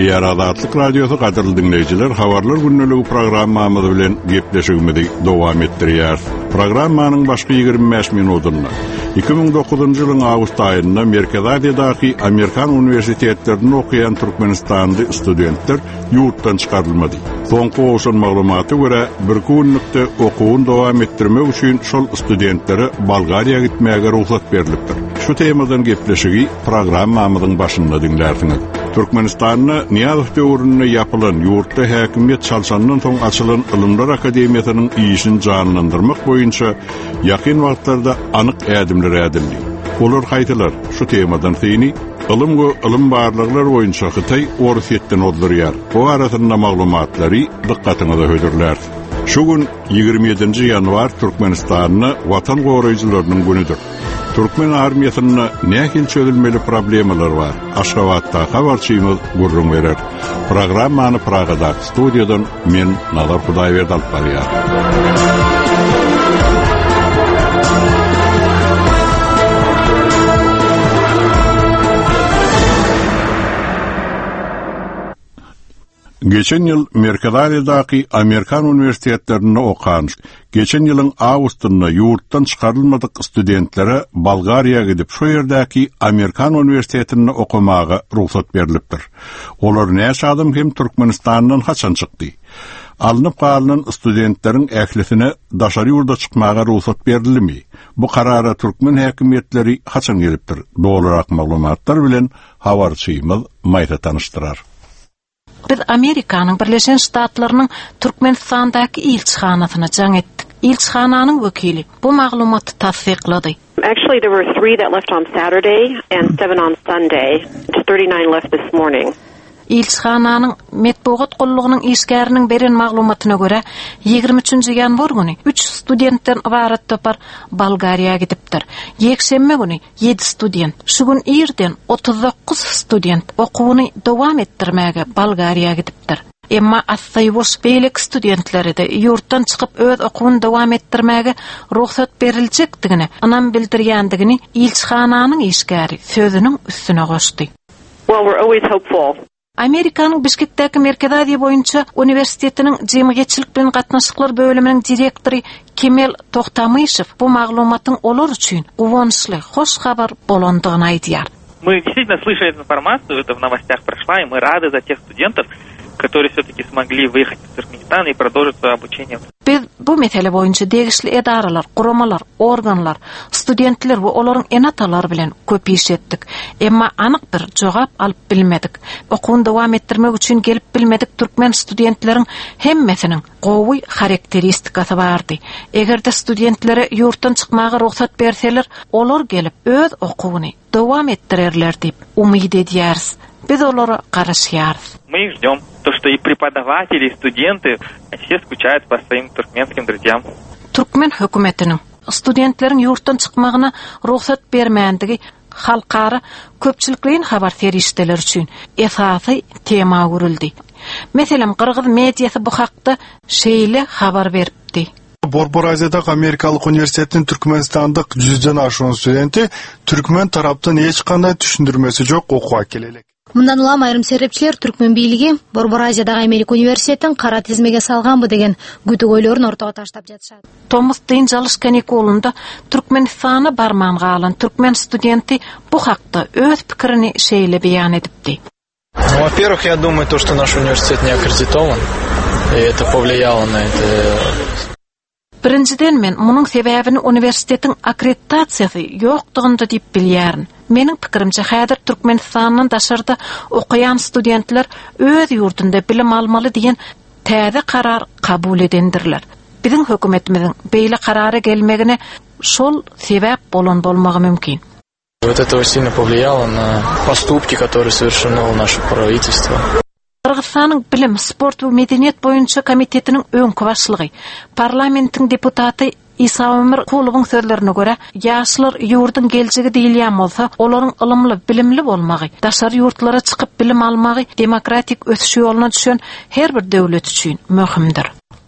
Gepleýär Azatlyk Radiosy gadyrly diňleýjiler habarlar gündeligi programmamyz bilen gepleşigimizi dowam etdirýäris. Programmanyň başky 25 minutynda 2009-njy ýylyň awgust aýynda Merkezi Aziýadaky Amerikan uniwersitetlerinde okaýan türkmenistanly studentler ýurtdan çykarylmady. Soňky gowşan maglumata görä, birki günlükde okuwyny dowam etdirmek üçin şol studentlere Bolgariýa gitmäge rugsat berlipdir. Şu temadan gepleşigi programmamyzyň başynda diňlärsiňiz. Türkmenistanda Nyýazow döwründe ýapylan, ýurtda häkimiýet çalşandan soň açylan Ylymlar akademiýasynyň işini janlandyrmak boýunça ýakyn wagtlarda anyk ädimler ädildi. Olar haýsylar? Şu temadan syny Ylym we ylym barlaglar boýunça Hytaý Orsýetden ozdurýar. Bu barasynda maglumatlary dykgatyňyza hödürläris. Şu gün 27-nji ýanwar Türkmenistanda Watan goraýjylarynyň günüdir. Türkmen armiýasynda nähili çözülmeli problemalar bar? Aşgabatdaky habarçymyz gürrüň berer. Programmany Pragadaky studiýadan men Nazar Hudaýberdi alyp barýar. Geçen ýyl Merkezi Aziýadaky amerikan uniwersitetlerinde okan, geçen ýylyň awgustynda ýurtdan çykarylmadyk studentlere Bolgariýa gidip, şo ýerdäki amerikan uniwersitetinde okamaga rugsat berlipdir. Olar näçe adam hem Türkmenistandan haçan çykdy? Alnyp galynan studentleriň ählisine daşary ýurda çykmaga rugsat berildimi? Bu karara türkmen häkimiýetleri haçan gelipdir? Dolurak maglumatlar bilen habarçymyz Maýsa tanyşdyrar. Biz Amerikanyň Birleşen Ştatlarynyň Türkmenistandaky ilçihanasyna jaň etdik. Ilçihananyň wekili bu maglumaty tassyklady. Actually there were three that left on Saturday and seven on Sunday. 39 left this morning. Ilçihananyň metbugat gullugynyň işgäriniň beren maglumatyna görä, 23-nji ýanwar güni üç studentden ybarat topar Bolgariýa gidipdir. Ýekşenbe güni Ýedi student. Şu gün irden 39 student okuwyny dowam etdirmäge Bolgariýa gidipdir. Emma Assaýuwoş beýleki studentlere-de ýurtdan çykyp öz okuwyny dowam etdirmäge rugsat beriljekdigine ynam bildirýändigini ilçihananyň işgäri sözüniň üstüne goşdy. Well, we're always hopeful. Amerikanyň Bişkekdäki Merkezi Aziýa boýunça uniwersitetiniň jemgyýetçilik bilen gatnaşyklar bölüminiň direktory Kemel Tohtamyşew bu maglumatyň olar üçin guwançly, hoş habar bolandygyny aýdýar. Мы действительно слышали эту информацию, это в новостях прошла, и мы рады за тех студентов, которые все-таки смогли выехать из Туркменистана и продолжить свое обучение. Biz bu mesele boýunça degişli edaralar, guramalar, organlar, studentler we olaryň ene-atalary bilen köp iş etdik. Emma anyk bir jogap alyp bilmedik. Okuwyny dowam etdirmek üçin gelip bilmedik türkmen studentleriň hemmesiniň gowy harakteristikasy bardy. Eger-de studentlere ýurtdan çykmaga rugsat berseler, olar gelip öz okuwyny dowam etdirerler diýip umyt edýäris. Biz olara garaşýarys. Мы их ждем. То, что и преподаватели, и студенты, все скучают по своим туркменским друзьям. Türkmen hökümetiniň studentleriň ýurtdan çykmagyna rugsat bermändigi halkara köpçülikleýin habar serişdeleri üçin esasy tema öwrüldi. Meselem, gyrgyz mediasy bu hakda şeýle habar beripdi. Борбор Азиядагы Америкалык университеттин түркмөнстандык жүздөн ашуун студенти түркмөн тараптын эч кандай түшүндүрмөсү жок окууга келе элек. Мындан улам айрым серепчилер түркмөн бийлиги Борбор Азиядагы Америка университетин кара тизмеге салганбы деген күдүк ойлорун ортого таштап жатышат. Tomus dynç alyş kanikulynda Türkmenistana barman galan türkmen studenti bu hakda öz pikirini şeýle beýan edipdi. Ну, во-первых, я думаю, то, что наш университет не аккредитован, и это повлияло на это. Birinjiden men munuň sebäbini uniwersitetiň akkreditasiýasy ýokdugynda diýip bilýärin. Meniň pikirimçe häzir Türkmenistandan daşarda okaýan studentler öz ýurdunda bilim almaly diýen täze karar kabul edendirler. Biziň hökümetimiziň beýle karara gelmegine şol sebäp bolan bolmagy mümkin. Вот это сильно повлияло на поступки, которые совершено наше правительство. Gyrgyzystanyň Bilim, sport we medeniýet boýunça komitetiniň öňki başlygy, parlamentiň deputaty Isaömür Kulowyň sözlerine görä, ýaşlar ýurduň geljegi diýilýän bolsa, olaryň ylymly, bilimli bolmagy, daşary ýurtlara çykyp bilim almagy demokratik ösüş ýoluna düşen her bir döwlet üçin möhümdir.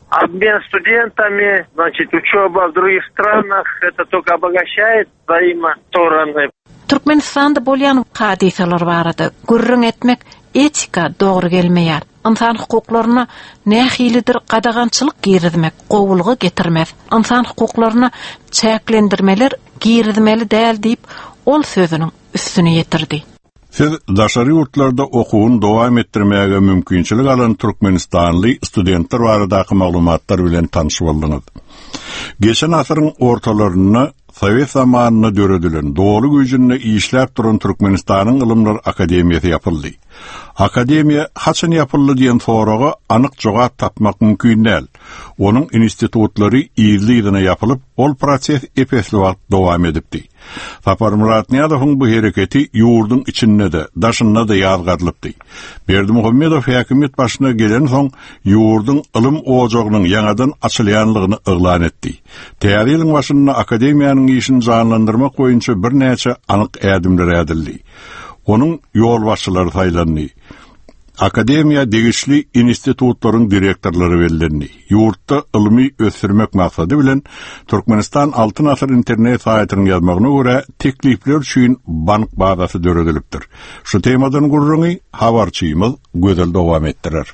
Обмен студентами, значит, учеба в других странах, это только обогащает взаимостороны. Türkmenistanda bolýan hadysalar barada gürrüň etmek etika dogry gelmeýär. Ynsan hukuklaryna nähilidir gadagançylyk girizmek gowulyga getirmez. Ynsan hukuklaryna çäklendirmeler girizmeli däl diýip, ol sözüniň üstüni ýetirdi. Siz daşary ýurtlarda okuwyny dowam etdirmäge mümkinçilik alan türkmenistanly studentler baradaky maglumatlar bilen tanyş bolduňyz. Geçen asyryň ortalarynda sowet zamanynda döredilen, doly güýjünde işläp duran Türkmenistanyň Ylymlar akademiýasy ýapyldy. Akademiýa haçan ýapyldy diýen soraga anyk jogap tapmak mümkin däl. Onuň institutlary yzly-yzyna ýapylyp, ol proses ep-esli wagt dowam edipdi. Saparmyrat Nyýazowyň bu hereketi ýurduň içinde-de, daşynda-da ýazgarylypdy. Berdimuhamedow häkimiýet başyna gelensoň, ýurduň ylym ojagynyň ýaňadan açylýanlygyny yglan etdi. Täze ýylyň başynda akademiýanyň işini janlandyrmak boýunça birnäçe anyk ädimler ädildi. Onuň ýolbaşçylary saýlandy. Akademiýa degişli institutlaryň direktorlary bellendi. Ýurtda ylmy ösdürmek maksady bilen, Türkmenistan Altyn asyr internet saýtynyň ýazmagyna görä, teklipler üçin bank bazasy döredilipdir. Şu temadan gürrüňi habarçymyz Gözel dowam etdirer.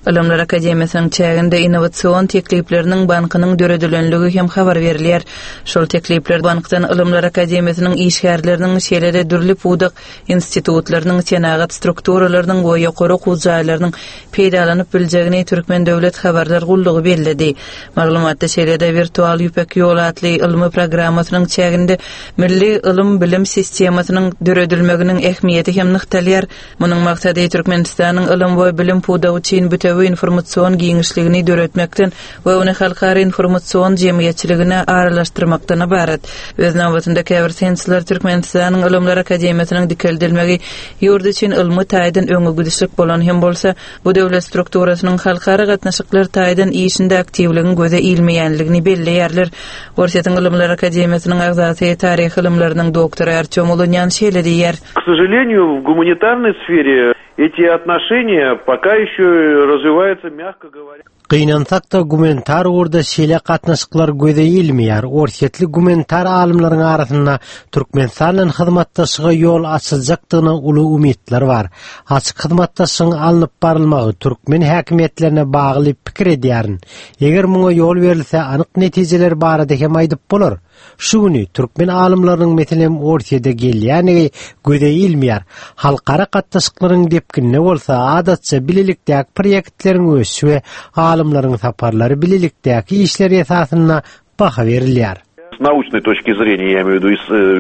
Ylymlar akademiýasynyň çäginde innowasion teklipleriniň bankynyň döredilenligi hem habar berilýär. Şol teklipler bankdan Ylymlar akademiýasynyň işgärleriniň, şeýle-de dürli pudak institutlarynyň, senagat strukturalarynyň we ýokary okuw jaýlarynyň peýdalanyp biljegini Türkmen döwlet habarlar gullugy belledi. Maglumatda şeýle-de Wirtual Ýüpek ýoly atly ylmy programmasynyň çäginde milli ylym-bilim sistemasynyň döredilmeginiň ähmiýeti hem nygtalýar. Munuň maksady Türkmenistanyň ylym we bilim pudagy üçin bitewi informasion giňişligini döretmekden we ony halkara informasion jemgyýetçiligine aralaşdyrmakdan ybarat. Öz nobatynda käbir synçylar Türkmenistanyň Ylymlar akademiýasynyň dikeldilmegi ýurt üçin ylmy taýdan öňe gidişlik bolan hem bolsa, bu döwlet strukturasynyň halkara gatnaşyklar taýdan işinde aktiwligiň göze ilmeýänligini belleýärler. Orsýetiň Ylymlar akademiýasynyň agzasy, taryh ylymlarynyň doktory Artýom Ulunýan şeýle diýýär. K сожалению, в гуманитарной сфере эти отношения пока еще развиваются, мягко говоря. Gynansak-da, gumanitar ugurda şeýle gatnaşyklar göze ilmeýär. Orsýetli gumanitar alymlaryň arasynda Türkmenistan bilen hyzmatdaşlyga ýol açyljakdygyna uly umytlar bar. Açyk hyzmatdaşlygyň alnyp barylmagy türkmen häkimiýetlerine bagly pikir edýärin. Eger muňa ýol berilse, anyk netijeler barada hem aýdyp bolar. Şu güni türkmen alymlarynyň meselem Orsýede gelýänligi göze ilmeýär. Halkara gatnaşyklaryň depginine bolsa adatça bilelikdäki proýektleriň ösüşi we alymlaryň saparlary bilelikdäki işleri esasynda baha berilýär. С научной точки зрения, я имею в виду,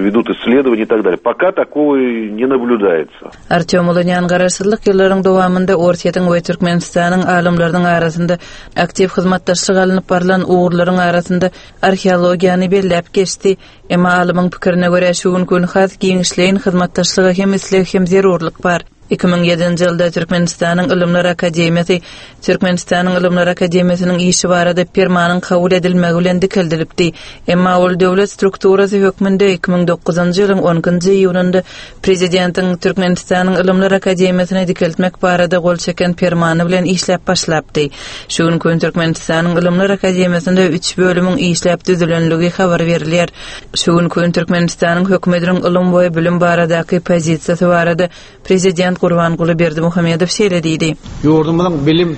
ведут исследования и так далее. Пока такого не наблюдается. Artýom Ulunýan garaşsyzlyk ýyllaryň dowamynda Orsýetiň we Türkmenistanyň alymlarynyň arasynda aktiw hyzmatdaşlyk alnyp barlan ugurlaryň arasynda arheologiýany belläp geçdi. Emma alymyň pikirine görä, şu günki gün has giňişleýin hyzmatdaşlyga hem isleg, hem zerurlyk bar. 2007-nji ýylda Türkmenistanyň Ylymlar akademiýasy Türkmenistanyň Ylymlar akademiýasynyň işi barada Permanyň kabul edilmegi bilen dikeldilipdi. Emma ol döwlet strukturasy hökmünde 2009-njy ýylyň on ikinji iýunynda Prezidentiň Türkmenistanyň Ylymlar akademiýasyny dikeltmek barada gol çeken Permany bilen işläp başlapdy. Şu günki gün Türkmenistanyň Ylymlar akademiýasynda üç bölümiň işläp düzülenligi habar berilýär. Şu günki gün Türkmenistanyň Hökümetiniň ylym we bilim baradaky pozisiýasy barada Prezident Gurbanguly Berdimuhamedow şeýle diýdi. Ýurdumyzyň bilim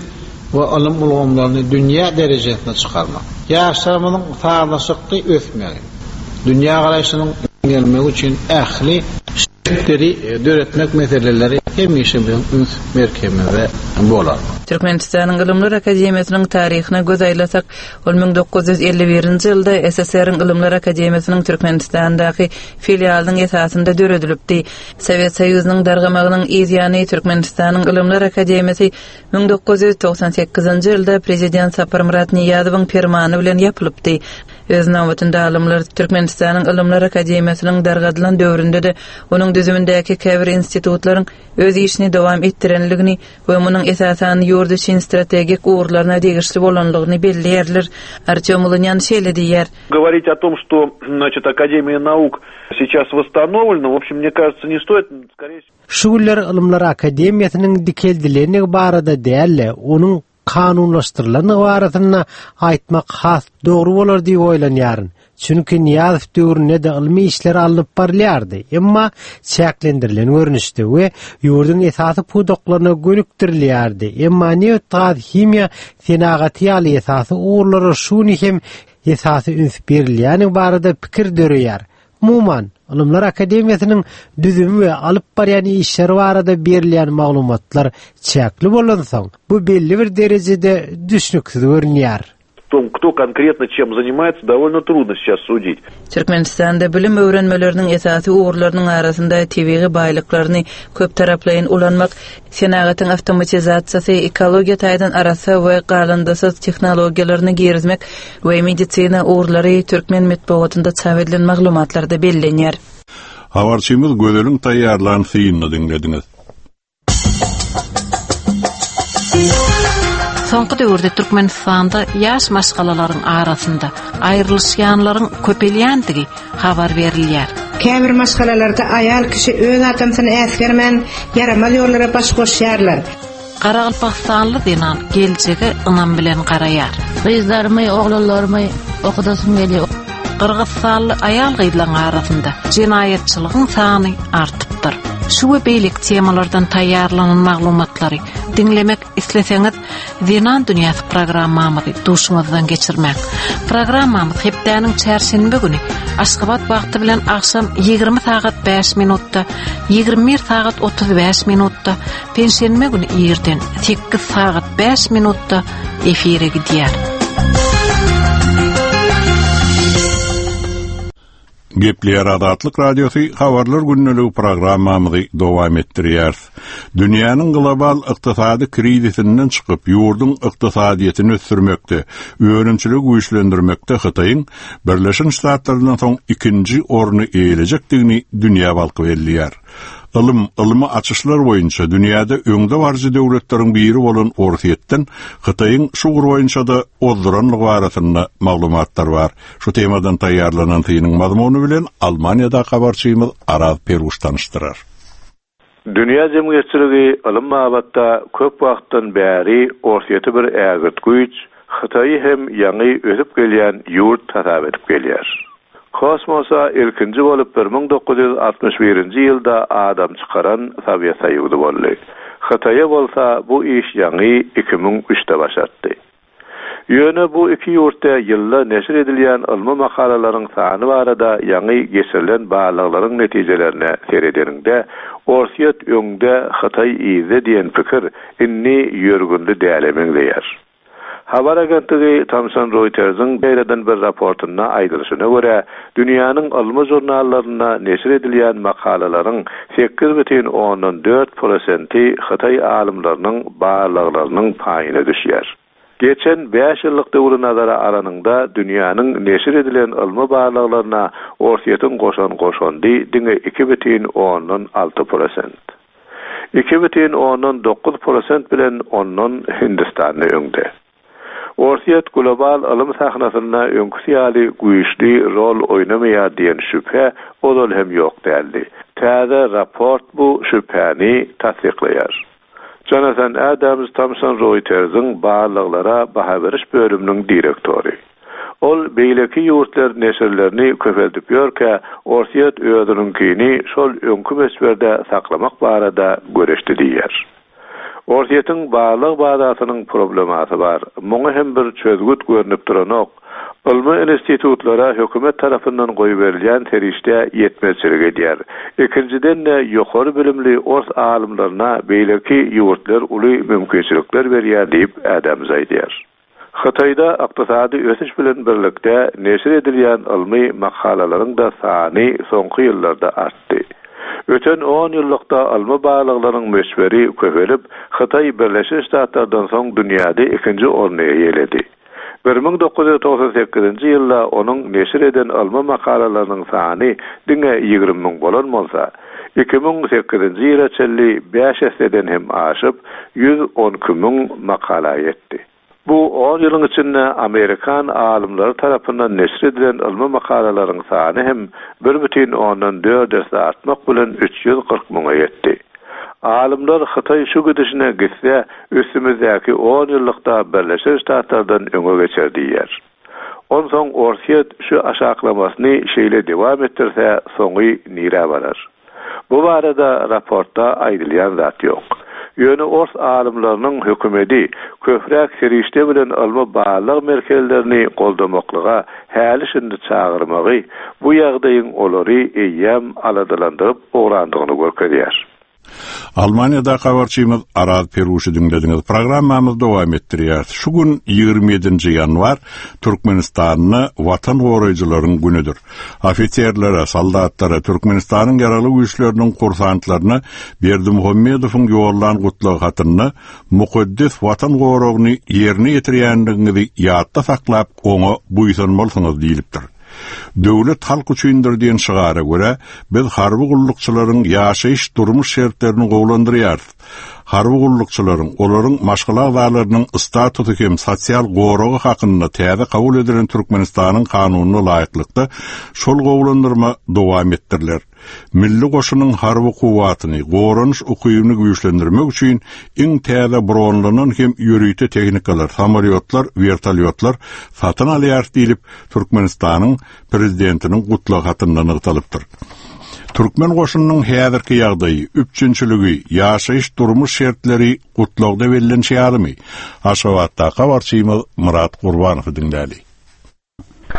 we ylym ulgamlaryny dünýä derejesine çykarmak, ýaşlarymyzyň sazlaşykly ösmegi, dünýägaraýşynyň giňelmegi üçin ähli şertleri döretmek meseleleri hemişe biziň üns merkezimizde bolar. Türkmenistanyň Ylymlar akademiýasynyň taryhyna göz aýlasak, ol 1951-nji ýylda SSR-iň Ylymlar akademiýasynyň Türkmenistandaky filialynyň esasynda döredilipdi. Sowet Soýuzynyň dargamagynyň yz ýany Türkmenistanyň Ylymlar akademiýasy 1998-nji ýylda prezident Saparmyrat Nyýazowyň permany bilen ýapylypdy. Öz nobatynda alymlar Türkmenistanyň Ylymlar akademiýasynyň dargadylan döwründe-de onuň düzümindäki käbir institutlaryň öz işini dowam etdirenligini we munuň esasan ýurt üçin strategik ugurlaryna degişli bolanlygyny belleýärler. Artýom Ulunýan şeýle diýýär. Говорить о том, что, значит, Академия наук сейчас восстановлена, в общем, мне кажется, не стоит. Скорее всего. Şu günler Ylymlar akademiýasynyň dikeldilendigi barada däl-de, onuň kanunlaşdyrylandygy barasynda aýtmak has dogry bolar diýip oýlanýaryn. Çünki Nyýazow döwründe-de ylmy işler alnyp barylýardy, emma çäklendirilen görnüşde we ýurduň esasy pudaklaryna gönükdirilýärdi. Emma nebit-gaz, himiýa senagaty ýaly esasy ugurlara şu gün hem esasy üns berilýäni barada pikir döreýär. Umuman, Ylymlar akademiýasynyň düzümi we alyp barýan işleri barada berilýän maglumatlar çäkli bolansoň, bu belli bir derejede düşnüksiz görünýär. Том, кто конкретно чем занимается, довольно трудно сейчас судить. Türkmenistanda bilim öwrenmeleriniň esasy ugurlarynyň arasynda tebigy baýlyklaryny köptaraplaýyn ulanmak, senagatyň awtomatizasiýasy, ekologiýa taýdan arassa we galyndysyz tehnologiýalaryny girizmek we medisina ugurlary türkmen metbugatynda çap edilen maglumatlarda bellenýär. Habarçymyz Gözeliň taýýarlan synyny diňlediňiz. Soňky döwürde Türkmenistanda ýaş maşgalalaryň arasynda aýrylyşýanlaryň köpelýändigi habar berilýär. Käbir maşgalalarda aýal kişi öz adamsyny äsgermän, ýaramaz ýollara baş goşýarlar. Garagalpagystanly zenan geljege ynam bilen garaýar. Gyzlarymy, oglanlarymy okudasym gelýär. Gyrgyzystanly aýal-gyzlaryň arasynda jenaýatçylygyň sany artypdyr. Şu we beýleki temalardan taýýarlanan maglumatlary diňlemek isleseňiz, Zenan dünýäsi programmamyzy duşuňyzdan geçirmäň. Programmamyz hepdäniň çärşenbe güni Aşgabat wagty bilen agşam 20 sagat 5 minutda, 21 sagat 35 minutda, penşenbe güni irden 8 sagat 5 minutda efire gidýär. Gepleýär Azatlyk Radiosy Habarlar gündeligi programmamyzy dowam etdirýäris. Dünýäniň global ykdysady krizisinden çykyp, ýurduň ykdysadyýetini ösdürmekde, önümçiligi güýçlendirmekde Hytaýyň Birleşen Ştatlardan soň ikinji orny eýelejekdigini dünýä balky belleýär. Ylym, ylmy açyşlar boýunça dünýäde öňdebaryjy döwletleriň biri bolan Orsýetden Hytaýyň şu ugur boýunça-da ozduranlygy barasynda maglumatlar bar. Şu temadan taýýarlanan synyň mazmuny bilen Almaniýadaky habarçymyz Araz Peruş tanyşdyrar. Dünýä jemgyýetçiligi ylym babatda köp wagtdan bäri Orsýeti bir ägirt güýç, Hytaýy hem ýaňy ösüp gelýän ýurt hasap edip gelýär. Kosmosa ilkinji bolup 1961-nji ýylda adam çykaran Sowet Soýuzy boldy. Hytaýa bolsa bu iş ýaňy 2003-de başartdy. Ýöne bu iki ýurtda ýylda neşir edilýän ylmy makalalaryň sany barada ýaňy geçirilen barlaglaryň netijelerine seredeniňde, Orsýet öňde, Hytaý yzda diýen pikir indi ýörgünli däle meňzeýär. Habar agentligi Thomson Reutersiň ýaýradan bir raportynda aýdylyşyna görä, dünýäniň ylmy žurnallarynda neşir edilýän makalalaryň 8,4 prosenti hytaý alymlarynyň barlaglarynyň paýyna düşýär. Geçen bäş ýyllyk döwri nazara alanyňda, dünýäniň neşir edilen ylmy barlaglaryna Orsýetiň goşan goşandy diňe 2,6 prosent. 2,9 prosent bilen ondan Hindistan öňde. Orsýet global ylym sahnasynda öňküsi ýaly güýçli rol oýnamaýar diýen şübhe ozal hem ýok däldi. Täze raport bu şübhäni tassyklaýar. Jonathan Adams Thomson Reutersiň barlaglara baha beriş bölüminiň direktory. Ol beýleki ýurtlar neşirlerini köpeldip ýörkä, Orsýet özüniňkini şol öňki möçberde saklamak barada göreşdi diýýär. Orsýetiň barlag bazasynyň problemasy bar. Muňa hem bir çözgüt görnüp duranok. Ylmy institutlara hökümet tarapyndan goýberilýän serişde ýetmezçilik edýär. Ikinjiden-de ýokary bilimli ors alymlaryna beýleki ýurtlar uly mümkinçilikler berýär diýip, Adams aýdýar. Hytaýda ykdysady ösüş bilen birlikde neşir edilýän ylmy makalalaryň-da sany soňky ýyllarda artdy. Öten on ýyllykda ylmy barlaglaryň möçberi köpelip, Hytaý Birleşen Ştatlardan soň dünýäde ikinji orny eýeledi. 1998-nji ýylda onuň neşir eden ylmy makalalarynyň sany diňe 20 müň bolan bolsa, 2008-nji ýyla çenli bäş esseden hem aşyp, 112 müň makala ýetdi. Bu on ýylyň içinde amerikan alymlary tarapyndan neşir edilen ylmy makalalaryň sany hem bir bütin ondan dört esse artmak bilen 340 müňe ýetdi. Alymlar Hytaý şu gidişine gitse, üstümizdäki on ýyllykda Birleşen Ştatlardan öňe geçer diýýär. Onsoň Orsýet şu aşaklamasyny şeýle dewam etdirse soňy nirä barar? Bu barada raportda aýdylýan zat ýok. Ýöne ors alymlarynyň hökümedi köpräk serişde bilen ylmy barlag merkezlerini goldamaklyga häli-şindi çagyrmagy bu ýagdaýyň olary eýýäm aladalandyryp ugrandygyny görkezýär. Almaniýadaky habarçymyz Araz Peruşy diňlediňiz. Programmamyzy dowam etdirýäris. Şu gün 27-nji ýanwar Türkmenistanda Watan goraýjylaryň günüdir. Ofiserlere, soldatlara, Türkmenistanyň Ýaragly Güýçleriniň kursantlaryna Berdimuhamedowyň ýollan gutlag hatynda mukaddes Watan goragyny ýerine ýetirýändigiňizi ýatda saklap, oňa buýsanmalysyňyz diýlipdir. Döwlet halk üçindir diýen şygara görä, biz harby gullukçylaryň ýaşaýyş-durmuş şertlerini gowulandyrýarys. Harby gullukçylaryň, olaryň maşgala agzalarynyň statusy hem sosial goragy hakynda täze kabul edilen Türkmenistanyň Kanunyna laýyklykda, şol gowulandyrma dowam etdiriler. Milli goşunyň harby kuwwatyny, goranyş ukybyny güýçlendirmek üçin iň täze bronlanan hem ýörite tehnikalar, samolýotlar, wertolýotlar satyn alýarys diýlip, Türkmenistanyň Prezidentiniň gutlag hatynda nygtalypdyr. Türkmen goşunynyň häzirki ýagdaýy, üpjünçiligi, ýaşaýyş-durmuş şertleri gutlagda bellenişi ýalymy? Aşgabatdaky habarçymyz Myrat Gurbanowy diňläli.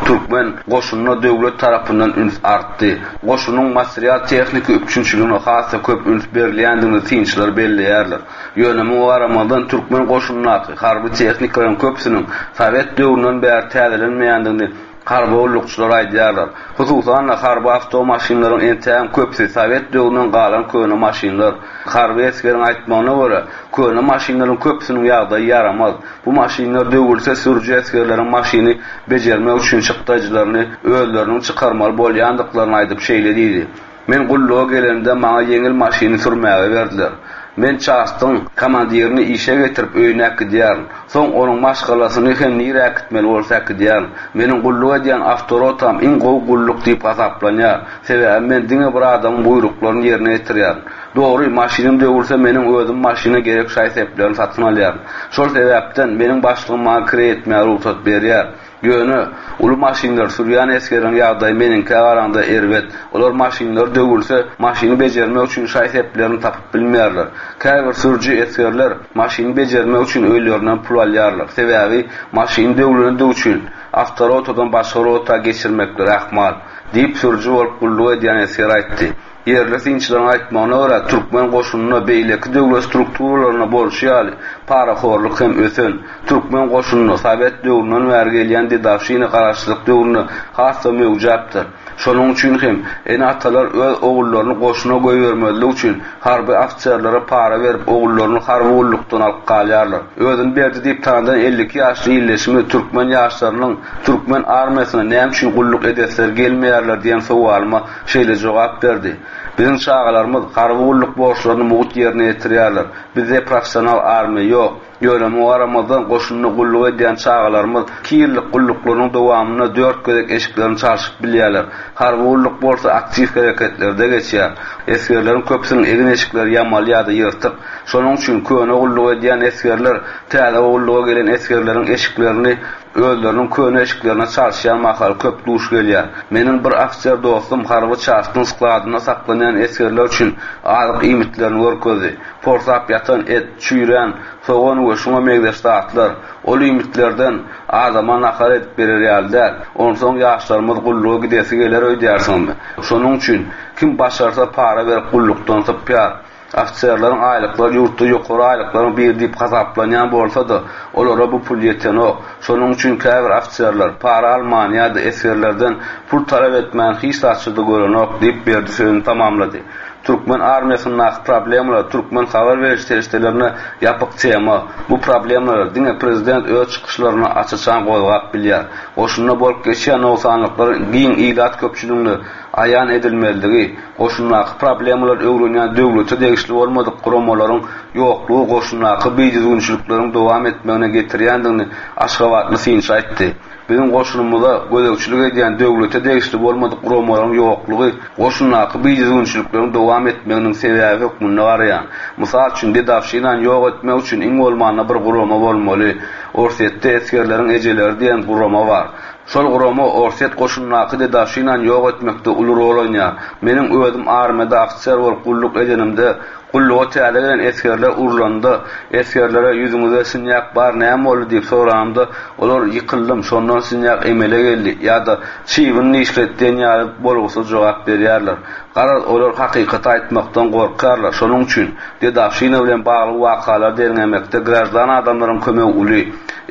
Türkmen goşunyna döwlet tarapyndan üns artdy. Goşunyň material-tehniki üpjünçiligine has-da köp üns berilýändigini synçylar belleýärler. Ýöne muňa garamazdan türkmen goşunyndaky harby tehnikalaryň köpüsiniň sowet döwründen bäri täzelenmeýändigini harby gullukçylar aýdýarlar. Hususan-da, harby awtomaşynlaryň entägem köpüsi sowet döwründen galan köne maşynlar. Harby esgeriň aýtmagyna görä, köne maşynlaryň köpüsiniň ýagdaýy ýaramaz. Bu maşynlar döwülse sürüji esgerleriň maşyny bejermek üçin çykdajylaryny özleriniň çykarmaly bolýandyklaryny aýdyp şeýle diýdi, Men gulluga gelenimde maňa ýeňil maşyny sürmäge berdiler. Men çastyň komandirini işe getirip öýüne äkidýärin. Soň onuň maşgalasyny hem nirä äkitmeli bolsa äkidýärin. Meniň gulluk edýän awtorotam iň gowy gulluk diýip hasaplanýar. Sebäbi men diňe bir adamyň buýruklaryny ýerine ýetirýärin. Dogry, maşynym döwülse meniň özüm maşyna gerek şaý-seplerini satyn alýaryn. Şol sebäpden meniň başlygym maňa kireý etmäge rugsat berýär. Ýöne, uly maşynlary sürýän esgerleriň ýagdaýy meniňkä garaňda erbet. Olar maşynlary döwülse, maşyny bejermek üçin şaý-seplerini tapyp bilmeýärler. Käbir sürüji esgerler maşyny bejermek üçin öýlerinden pul alýarlar. Sebäbi, maşyny döwlendigi üçin, awtorotadan başga rota geçirmekleri ahmal, diýip, sürüji bolup gulluk edýän esger aýtdy. Ýerli synçylaryň aýtmagyna görä, türkmen goşunynda beýleki döwlet strukturalarynda bolşy ýaly, parahorluk hem ösen. Türkmen goşunynda sowet döwründen bäri gelýän dedowşina garaşsyzlyk döwründe has-da möwjäpdir. Şonuň üçin hem ene-atalar öz ogullaryny goşuna goýbermezlik üçin harby ofiserlere para berip ogullaryny harby gullukdan alyp galýarlar. Özüni Berdi diýip tanadan 52 ýaşly ildeşimiz türkmen ýaşlarynyň türkmen armiýasyna näme üçin gulluk edesleri gelmeýärler diýen sowalyma şeýle jogap berdi, Biziň çagalarymyz harby gulluk borçlaryny mugt ýerine ýetirýärler. Bizde professional armiýa ýok. Ýöne muňa garamazdan, goşunda gulluk edýän çagalarymyz iki ýyllyk gulluklarynyň dowamynda dört gezek eşiklerini çalşyp bilýärler. Harby gulluk bolsa aktiw hereketlerde geçýär. Esgerleriň köpüsiniň egin-eşikleri ýamaly ýa-da ýyrtyk. Şonuň üçin köne gulluk edýän esgerler täze gulluga gelen esgerleriň eşiklerini Özleriniň köne eşiklerine çalyşýan mahaly köp duş gelýär. Meniň bir ofiser dostum harby çastyň skladynda saklanýan esgerler üçin azyk iýmitlerini görkezdi. Porsap ýatan et, çüýrän sogan we şuňa meňzeş zatlar. Ol iýmitlerden adama nahar edip berer ýaly däl. Onsoň ýaşlarymyz gulluga gidesi geler öýdýärsiňizmi? Şonuň üçin kim başarsa para berip gullukdan sypýar. Ofiserleriň aýlyklary ýurtda ýokary aýlyklaryň biri diýip hasaplanýan bolsa-da, olara bu pul ýetenok. Şonuň üçin käbir ofiserler para alman ýa-da esgerlerden pul talap etmän hiç zatça-da görenok diýip, Berdi sözüni tamamlady. Türkmen armiýasyndaky problemalar türkmen habar beriş serişdelerine ýapyk tema. Bu problemalary diňe prezident öz çykyşlarynda aç-açan gozgap bilýär. Goşunda bolup geçýän nogsanlyklaryň giň ilat köpçüligine aýan edilmezligi, goşundaky problemalary öwrenýän döwlete degişli bolmadyk guramalaryň ýoklugy goşundaky bidüzgünçilikleriň dowam etmegine getirýändigini aşgabatly synçy aýtdy. Biziň goşunymyza gözegçilik edýän döwlete degişli bolmadyk guramalaryň ýoklugy goşundaky bidüzgünçilikleriň dowam etmeginiň sebäbi hökmünde garaýan. Mysal üçin, dedowşinany ýok etmek üçin iň bolmanda bir gurama bolmaly. Orsýetde esgerleriň ejeleri diýen gurama bar. Şol gurama Orsýet goşunyndaky dedowşinany ýok etmekde uly rol oýnaýar. Meniň özüm armiýada ofiser bolup gulluk edenimde, gulluga täze gelen esgerler urlanda, esgerlere ýüzüňizde sinýak bar näme boldy diýip soranymda, olar ýykyldym, şondan sinýak emele geldi ýa-da çybyn dişledi diýen ýaly bolgusyz jogap berýärler. Garaz, olar hakykaty aýtmakdan gorkýarlar. Şonuň üçin, dedowşina bilen bagly wakalary derňemekde graždan adamlaryň kömegi uly.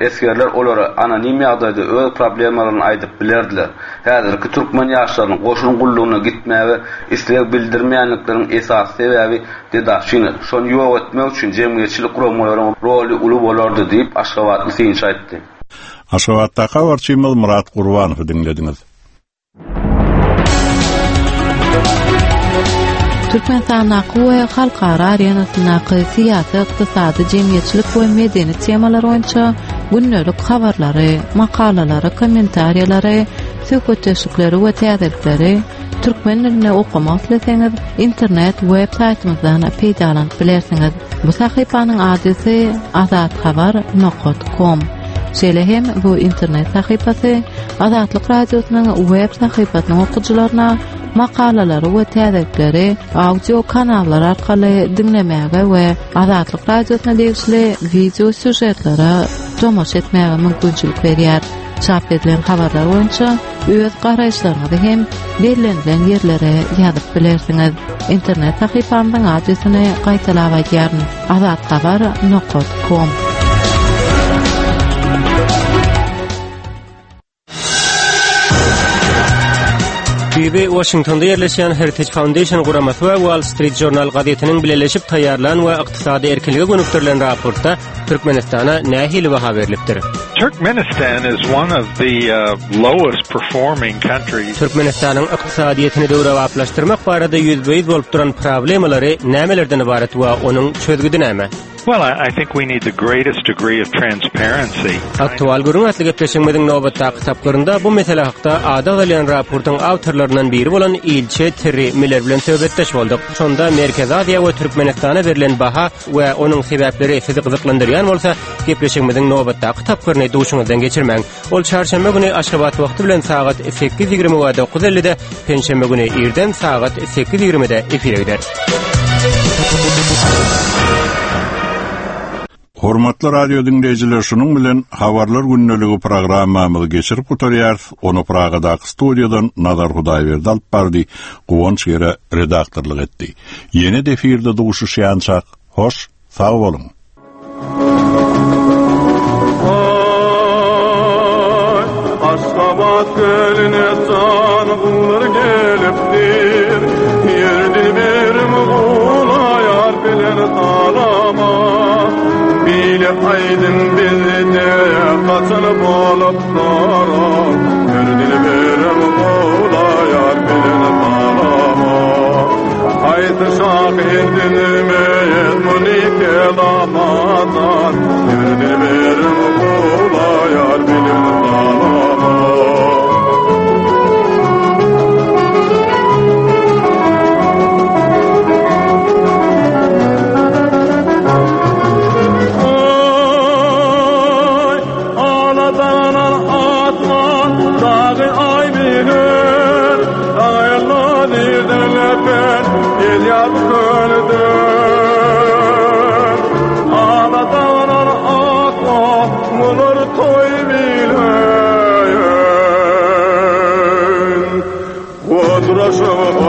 Esgerler olara anonim ýagdaýda öz problemalaryny aýdyp bilerdiler. Häzirki türkmen ýaşlarynyň goşun gullugyna gitmäge isleg bildirmeýänlikleriniň esasy sebäbi dedowşina. Şony ýok etmek üçin jemgyýetçilik guramalaryň roly uly bolardy diýip, aşgabatly synçy aýtdy. Aşgabatdaky habarçymyz Myrat Gurbanowy diňlediňiz. Türkmenistandaky we halkara arenasyndaky syýasy, ykdysady, jemgyýetçilik we medeni temalar boýunça gündelik habarlary, makalalary, kommentariýalary, söhbetdeşlikleri we täzelikleri türkmen dilinde okamak isleseňiz, internet web saýtymyzdan peýdalanyp bilersiňiz. Bu sahypanyň adresi azathabar nokat kom. Şeýle hem bu internet sahypasy Azatlyk Radiosynyň web sahypasynyň okyjylaryna makalalary we täzelikleri audio kanallar arkaly diňlemäge we Azatlyk Radiosyna degişli wideo sýužetlere tomaşa etmäge mümkinçilik berýär. Çap edilen habarlar boýunça öz garaýyşlaryňyzy hem bellenilen ýerlere ýazyp bilersiňiz. Internet sahypamyzyň adresini gaýtalap aýdýaryn, azathabar nokat kom. Düýbi Waşingtonda ýerleşýän Heritage Foundation guramasy we Wall Street Journal gazetiniň bileleşip taýýarlan we ykdysady erkinlige gönükdirilen raportda Türkmenistana nähili baha berlipdir? Turkmenistan is one of the uh, lowest performing countries. Türkmenistanyň ykdysadyýetini döwrebaplaşdyrmak barada ýüzbe-ýüz bolup duran problemalary nämelerden ybarat we onuň çözgüdi näme? Well, I think we need the greatest degree of transparency. Aktual gürrüň atly gepleşigimiziň nobatdaky tapgyrynda bu mesele hakda ady agzalýan raportyň awtorlaryndan biri bolan ilçi Terri Miller bilen söhbetdeş bolduk. Şonda Merkezi Aziýa we Türkmenistana berlen baha we onuň sebäpleri sizi gyzyklandyrýan bolsa, gepleşigimiziň nobatdaky tapgyryny duşuňyzdan geçirmäň. Ol çarşenbe güni Aşgabat wagty bilen sagat 8:20 we 9:50-de, penşenbe güni irden sagat 8:20-de efire gider. Hormatly radio diňleýjiler, şunuň bilen Habarlar gündeligi programmamyzy geçirip gutarýarys. Ony Pragadaky studiýadan Nazar Hudaýberdi alyp bardy, Guwanç Gere redaktorlyk etdi. Ýene-de efirde duşuşýançak, hoş, sag boluň! Aşgabat kölüne jan guwlar gelipdir, Ýer dilberim gulaýar bilen salama. Bile aýdym bizde haçan bolupdyr, Ýer dilberim gulaýar bilen salama. Haýsy şahyr düzmez muny kelamadan, Ýer dilberim gulaýar bilen salama. Oy, aladanan atman, dagy aý bilir, Dagyna nirden öpen, el ýaz kölden. Aladanan atman, mular toý bilen. Oturasym.